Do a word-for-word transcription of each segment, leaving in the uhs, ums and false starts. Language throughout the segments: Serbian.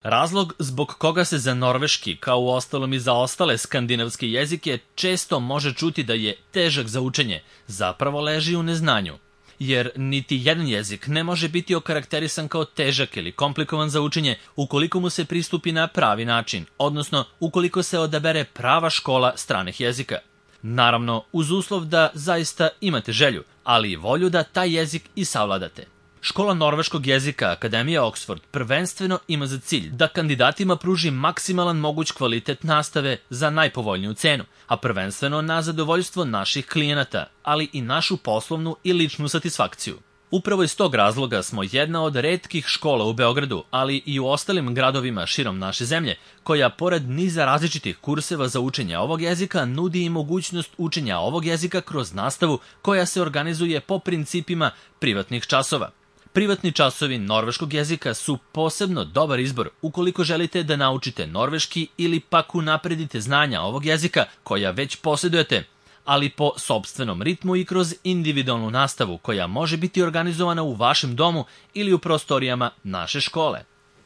Razlog zbog koga se za norveški, kao u ostalom i za ostale skandinavske jezike, često može čuti da je težak za učenje, zapravo leži u neznanju. Jer niti jedan jezik ne može biti okarakterisan kao težak ili komplikovan za učenje ukoliko mu se pristupi na pravi način, odnosno ukoliko se odabere prava škola stranih jezika. Naravno, uz uslov da zaista imate želju, ali i volju da taj jezik i savladate. Škola norveškog jezika Akademija Oxford prvenstveno ima za cilj da kandidatima pruži maksimalan moguć kvalitet nastave za najpovoljniju cenu, a prvenstveno na zadovoljstvo naših klijenata, ali i našu poslovnu i ličnu satisfakciju. Upravo iz tog razloga smo jedna od retkih škola u Beogradu, ali i u ostalim gradovima širom naše zemlje, koja pored niza različitih kurseva za učenje ovog jezika nudi i mogućnost učenja ovog jezika kroz nastavu koja se organizuje po principima privatnih časova. Privatni časovi norveškog jezika su posebno dobar izbor ukoliko želite da naučite norveški ili pak unapredite znanja ovog jezika koja već posjedujete, ali po sopstvenom ritmu i kroz individualnu nastavu koja može biti organizovana u vašem domu ili u prostorijama naše škole.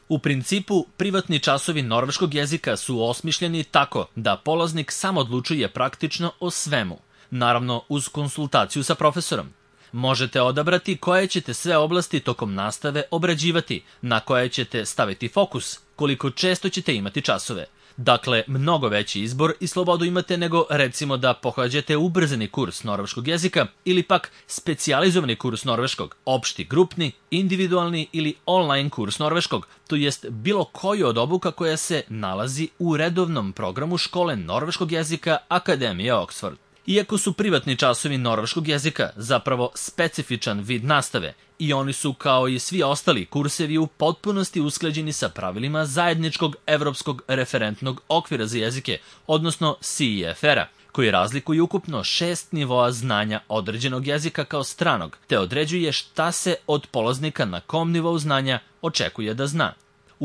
U principu, privatni časovi norveškog jezika su osmišljeni tako da polaznik sam odlučuje praktično o svemu, naravno uz konsultaciju sa profesorom. Možete odabrati koje ćete sve oblasti tokom nastave obrađivati, na koje ćete staviti fokus, koliko često ćete imati časove. Dakle, mnogo veći izbor i slobodu imate nego recimo da pohađate ubrzani kurs norveškog jezika ili pak specijalizovani kurs norveškog, opšti, grupni, individualni ili online kurs norveškog, to jest bilo koju od obuka koja se nalazi u redovnom programu škole norveškog jezika Akademija Oxford. Iako su privatni časovi norveškog jezika zapravo specifičan vid nastave i oni su kao i svi ostali kursevi u potpunosti usklađeni sa pravilima zajedničkog evropskog referentnog okvira za jezike, odnosno C E F R-a, koji razlikuju ukupno šest nivoa znanja određenog jezika kao stranog, te određuje šta se od polaznika na kom nivou znanja očekuje da zna.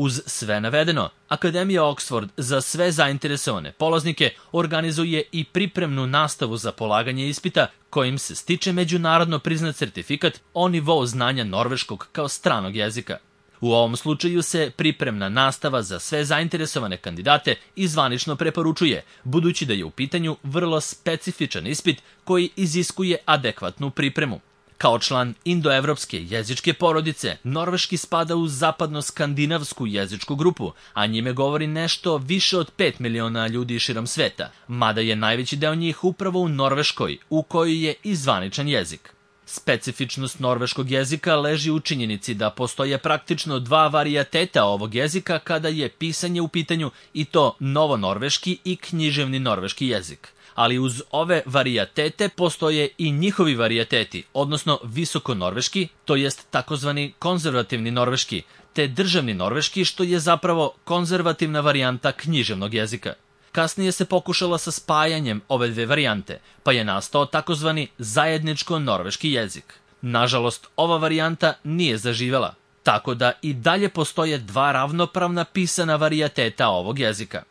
Uz sve navedeno, Akademija Oxford za sve zainteresovane polaznike organizuje i pripremnu nastavu za polaganje ispita kojim se stiče međunarodno priznat certifikat o nivou znanja norveškog kao stranog jezika. U ovom slučaju se pripremna nastava za sve zainteresovane kandidate i zvanično preporučuje, budući da je u pitanju vrlo specifičan ispit koji iziskuje adekvatnu pripremu. Kao član indoevropske jezičke porodice, norveški spada u zapadno-skandinavsku jezičku grupu, a njime govori nešto više od pet miliona ljudi širom sveta, mada je najveći deo njih upravo u Norveškoj, u kojoj je i zvaničan jezik. Specifičnost norveškog jezika leži u činjenici da postoje praktično dva varijateta ovog jezika kada je pisanje u pitanju, i to novonorveški i književni norveški jezik. Ali uz ove varijatete postoje i njihovi varijateti, odnosno visokonorveški, to jest takozvani konzervativni norveški, te državni norveški, što je zapravo konzervativna varijanta književnog jezika. Kasnije se pokušala sa spajanjem ove dve varijante, pa je nastao takozvani zajedničko-norveški jezik. Nažalost, ova varijanta nije zaživela, tako da i dalje postoje dva ravnopravna pisana varijateta ovog jezika.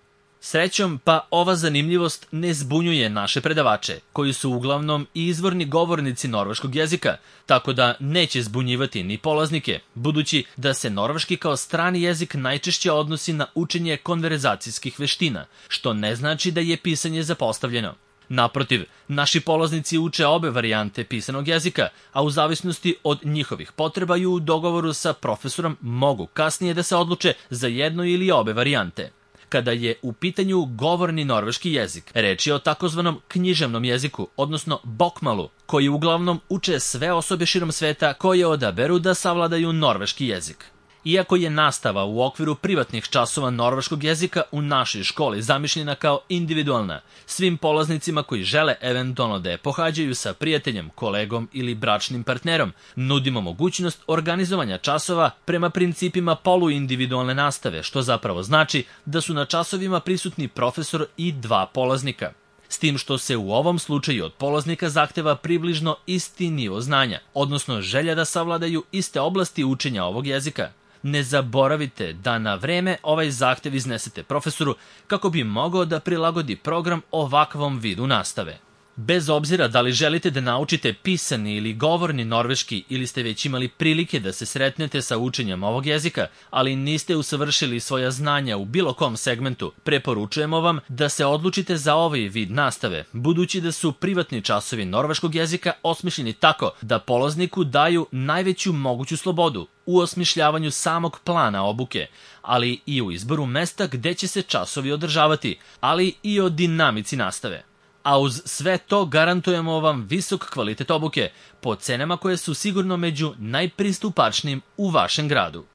Srećom, pa ova zanimljivost ne zbunjuje naše predavače, koji su uglavnom i izvorni govornici norveškog jezika, tako da neće zbunjivati ni polaznike, budući da se norveški kao strani jezik najčešće odnosi na učenje konverzacijskih veština, što ne znači da je pisanje zapostavljeno. Naprotiv, naši polaznici uče obe varijante pisanog jezika, a u zavisnosti od njihovih potreba i u dogovoru sa profesorom mogu kasnije da se odluče za jednu ili obe varijante. Kada je u pitanju govorni norveški jezik, reč je o takozvanom književnom jeziku, odnosno bokmalu, koji uglavnom uče sve osobe širom sveta koje odaberu da savladaju norveški jezik. Iako je nastava u okviru privatnih časova norveškog jezika u našoj školi zamišljena kao individualna, svim polaznicima koji žele eventualno da je pohađaju sa prijateljem, kolegom ili bračnim partnerom, nudimo mogućnost organizovanja časova prema principima poluindividualne nastave, što zapravo znači da su na časovima prisutni profesor i dva polaznika. S tim što se u ovom slučaju od polaznika zahteva približno isti nivo znanja, odnosno želja da savladaju iste oblasti učenja ovog jezika. Ne zaboravite da na vreme ovaj zahtev iznesete profesoru kako bi mogao da prilagodi program ovakvom vidu nastave. Bez obzira da li želite da naučite pisani ili govorni norveški ili ste već imali prilike da se sretnete sa učenjem ovog jezika, ali niste usavršili svoja znanja u bilo kom segmentu, preporučujemo vam da se odlučite za ovaj vid nastave, budući da su privatni časovi norveškog jezika osmišljeni tako da polazniku daju najveću moguću slobodu u osmišljavanju samog plana obuke, ali i u izboru mesta gde će se časovi održavati, ali i o dinamici nastave. A uz sve to garantujemo vam visok kvalitet obuke po cenama koje su sigurno među najpristupačnijim u vašem gradu.